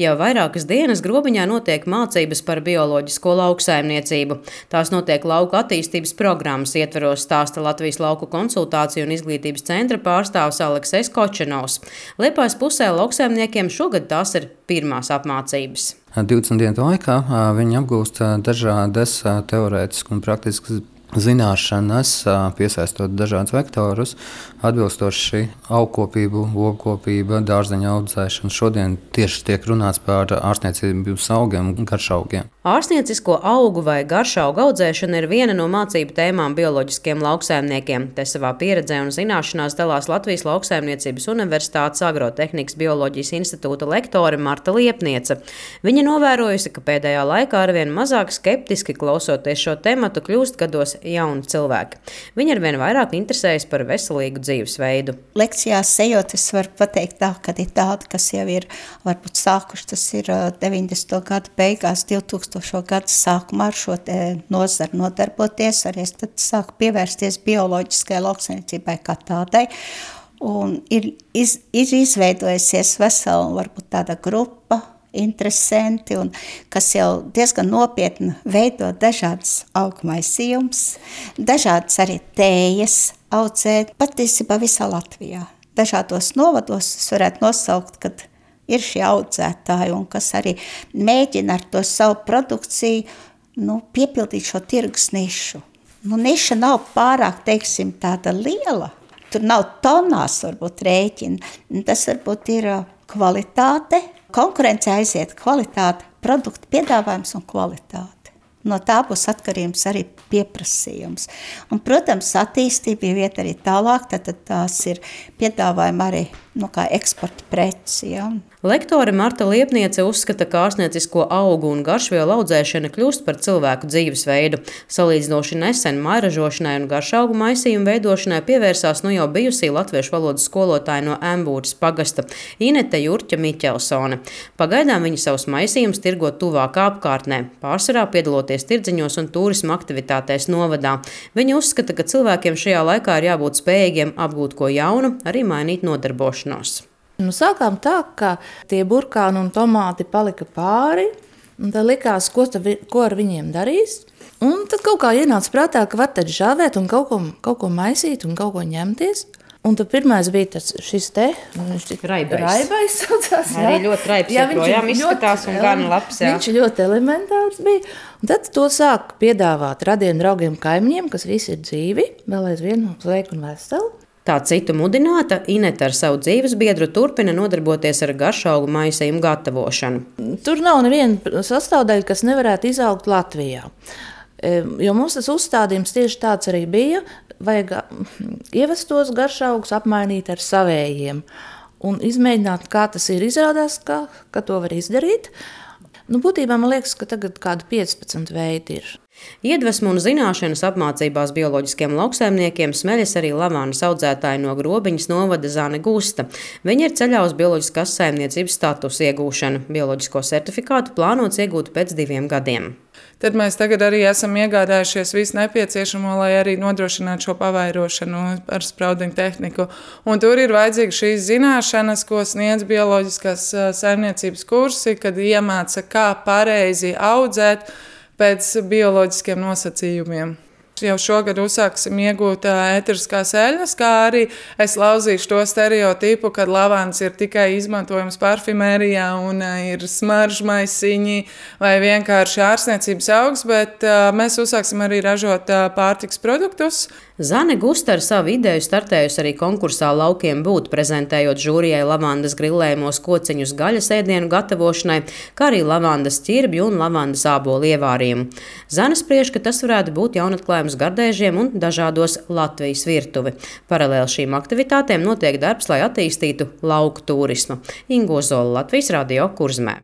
Jau vairākas dienas Grobiņā notiek mācības par bioloģisko lauksaimniecību. Tās notiek lauku attīstības programmas ietveros, stāsta Latvijas lauku konsultāciju un izglītības centra pārstāvis Aleksis Kočenovs. Liepājas pusē lauksaimniekiem šogad tās ir pirmās apmācības. 20 dienu laikā viņi apgūst dažādas teorētiskas un praktiskas zināšanas, piesaistot dažādus vektorus, atbilstoši augkopību, lopkopība, dārzeņu audzēšana. Šodien tieši tiek runāts par ārstniecības augiem un garšaugiem. Ārstniecisko augu vai garšaugu audzēšana ir viena no mācību tēmām bioloģiskiem lauksaimniekiem. Te savā pieredzē un zināšanās dalās Latvijas Lauksaimniecības Universitātes Agrotehnikas bioloģijas institūta lektore Marta Liepniece. Viņa novērojusi, ka pēdējā laikā arvien mazāk skeptiski klausoties šo tematu kļūst gados jauni cilvēki. Viņi arvien vairāk interesējas par veselīgu dzīvesveidu. Lekcijās ejot, es varu pateikt tā, ka ir tādi, kas jau ir varbūt sākuši, tas ir 90. gadu beigās, 2000. gadu sākumā ar šo nozaru nodarboties, arī es tad sāku pievērsties bioloģiskai lauksaimniecībai kā tādai. Un ir izveidojusies vesela, varbūt tāda grupa, interesanti, un kas jau diezgan nopietni veido dažādas augmaisījumus, dažādas arī tējas audzēt, patiesībā visā Latvijā. Dažādos novados es varētu nosaukt, kad ir šie audzētāji, un kas arī mēģina ar to savu produkciju piepildīt šo tirgus nišu. Niša nav pārāk, teiksim, tāda liela. Tur nav tonās varbūt rēķina. Tas varbūt ir kvalitāte. Konkurence aiziet kvalitāte, produktu piedāvājums un kvalitāte. No tā būs atkarības arī pieprasījums. Un, protams, attīstība jau iet arī tālāk, tad tās ir piedāvājumi arī kā eksporta preci. Ja. Lektore Marta Liepniece uzskata, ka ārstniecisko augu un garšvielu audzēšana kļūst par cilvēku dzīvesveidu. Salīdzinoši nesen mairažošanai un garšaugu maisījumu veidošanai pievērsās jau bijusī latviešu valodas skolotāja no Embūras pagasta Inete Jurķa Miķelsone. Pagaidām viņa savus maisījumus tirgo tuvākā apkārtnē, pārsvarā piedaloties tirdziņos un turisma aktivitātēs novadā. Viņa uzskata, ka cilvēkiem šajā laikā ir jābūt spējīgiem apgūt ko jaunu, arī mainīt nodarbošanos. Sākām tā, ka tie burkāni un tomāti palika pāri, un tad likās, ko ar viņiem darīs. Un tad kaut kā ienāca prātā, ka var tad žāvēt un kaut ko maisīt un kaut ko ņemties. Un tad pirmais bija šis te, viņš tik raibais saucās. Arī ļoti raibs, joprojām izskatās un gan labs. Jā. Viņš ļoti elementārs bija. Un tad to sāk piedāvāt radiem draugiem kaimiņiem, kas visi ir dzīvi, vēl aizvien sveiki un veseli. Tā citu mudināta, Inete ar savu dzīvesbiedru turpina nodarboties ar garšaugu maisījumu gatavošanu. Tur nav neviena sastāvdaļa, kas nevarētu izaugt Latvijā. Jo mums tas uzstādījums tieši tāds arī bija, vajag ievestos garšaugus apmainīt ar savējiem un izmēģināt, kā tas ir. Izrādās, ka to var izdarīt. Būtībā man liekas, ka tagad kādi 15 veidi ir. Iedvesmu un zināšanas apmācībās bioloģiskiem lauksaimniekiem smeļas arī lavandas audzētāji no Grobiņas novada Zane Gusta. Viņa ir ceļā uz bioloģiskās saimniecības statusa iegūšanu. Bioloģisko certifikātu plānots iegūt pēc 2 gadiem. Tad mēs tagad arī esam iegādājušies visu nepieciešamo, lai arī nodrošinātu šo pavairošanu ar spraudiņu tehniku. Un tur ir vajadzīga šīs zināšanas, ko sniedz bioloģiskās saimniecības kursi, kad iemāca, kā pareizi audzēt pēc bioloģiskiem nosacījumiem. Jau šogad uzsāksim iegūt ēteriskās eļļas, kā arī es lauzīšu to stereotipu, ka lavans ir tikai izmantojams parfimērijā un ir smaržmaisiņi vai vienkārši ārstniecības augs, bet mēs uzsāksim arī ražot pārtikas produktus. Zane Gusta ar savu ideju startējusi arī konkursā Laukiem būt, prezentējot žūrijai lavandas grillējumos kociņus gaļas ēdienu gatavošanai, kā arī lavandas ķirbju un lavandas ābolu ievārījumu. Zane spriež, ka tas varētu būt jaunatklājums gardēžiem un dažādos Latvijas virtuvi. Paralēli šīm aktivitātēm notiek darbs, lai attīstītu lauku turismu. Inga Ozola, Latvijas Radio, Kurzemē.